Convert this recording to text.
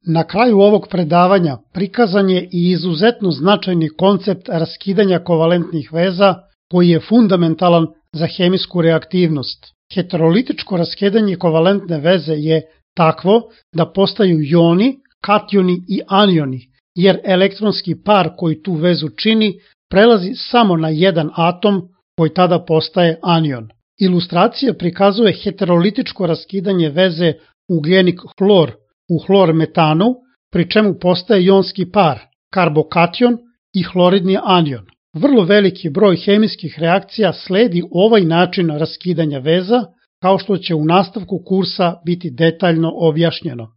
Na kraju ovog predavanja prikazan je i izuzetno značajni koncept raskidanja kovalentnih veza koji je fundamentalan za hemijsku reaktivnost. Heterolitičko raskidanje kovalentne veze je takvo da postaju joni, kationi i anioni, jer elektronski par koji tu vezu čini prelazi samo na jedan atom koji tada postaje anion. Ilustracija prikazuje heterolitičko raskidanje veze ugljenik-hlor u hlor-metanu, pri čemu postaje jonski par, karbokation i hloridni anion. Vrlo veliki broj hemijskih reakcija sledi ovaj način raskidanja veza, kao što će u nastavku kursa biti detaljno objašnjeno.